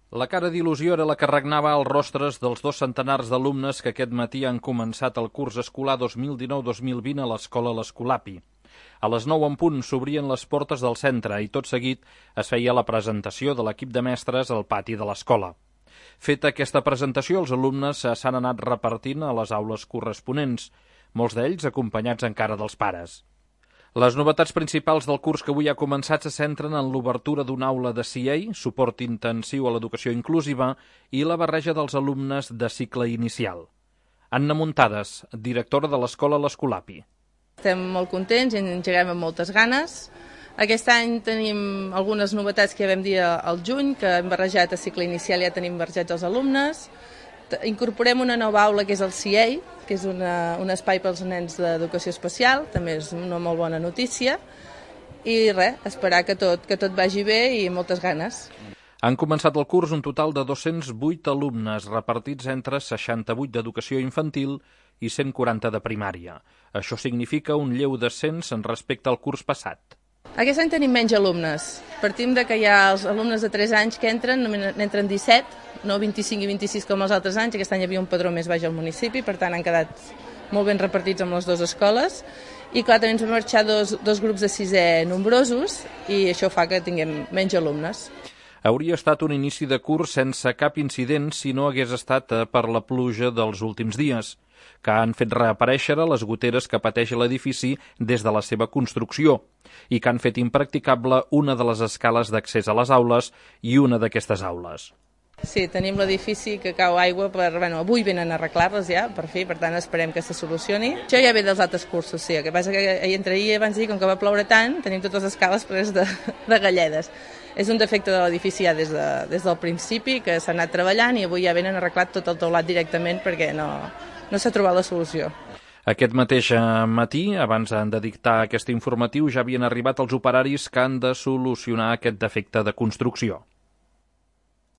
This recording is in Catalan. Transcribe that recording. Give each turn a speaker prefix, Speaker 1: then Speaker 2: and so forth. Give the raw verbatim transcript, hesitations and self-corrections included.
Speaker 1: La cara d'il·lusió era la que regnava als rostres dels dos centenars d'alumnes que aquest matí han començat el curs escolar dos mil dinou dos mil vint a l'escola l'Escolapi. A les nou en punt s'obrien les portes del centre i tot seguit es feia la presentació de l'equip de mestres al pati de l'escola. Feta aquesta presentació, els alumnes s'han anat repartint a les aules corresponents, molts d'ells acompanyats encara dels pares. Les novetats principals del curs que avui ha començat se centren en l'obertura d'una aula de C A, suport intensiu a l'educació inclusiva, i la barreja dels alumnes de cicle inicial. Anna Muntades, directora de l'escola l'Escolapi.
Speaker 2: Estem molt contents i engeguem amb moltes ganes. Aquest any tenim algunes novetats que ja vam dir al juny, que hem barrejat a cicle inicial i ja tenim barrejats els alumnes. Incorporem una nova aula que és el C A, que és una, un espai pels nens d'educació especial, també és una molt bona notícia. I res, esperar que tot, que tot vagi bé i moltes ganes.
Speaker 1: Han començat el curs un total de dos-cents vuit alumnes, repartits entre seixanta-vuit d'educació infantil i cent quaranta de primària. Això significa un lleu descens en respecte al curs passat.
Speaker 2: Aquest any tenim menys alumnes. Partim de que hi ha els alumnes de tres anys que entren, n'entren disset, no vint-i-cinc i vint-i-sis com els altres anys. Aquest any hi havia un padró més baix al municipi, per tant han quedat molt ben repartits amb les dues escoles. I clar, també ens van marxar dos, dos grups de sisè nombrosos i això fa que tinguem menys alumnes.
Speaker 1: Hauria estat un inici de curs sense cap incident si no hagués estat per la pluja dels últims dies, que han fet reaparèixer les goteres que pateix l'edifici des de la seva construcció i que han fet impracticable una de les escales d'accés a les aules i una d'aquestes aules.
Speaker 2: Sí, tenim l'edifici que cau aigua, per, bueno, avui venen a arreglar-les ja, per fi, per tant esperem que se solucioni. Això ja ve dels altres cursos, sí, el que passa que entre ahir abans d'ahir, com que va ploure tant, tenim totes les escales plenes de, de galledes. És un defecte de l'edifici ja des, de, des del principi, que s'ha anat treballant i avui ja venen arreglat tot el teulat directament perquè no, no s'ha trobat la solució.
Speaker 1: Aquest mateix matí, abans de dictar aquest informatiu, ja havien arribat els operaris que han de solucionar aquest defecte de construcció.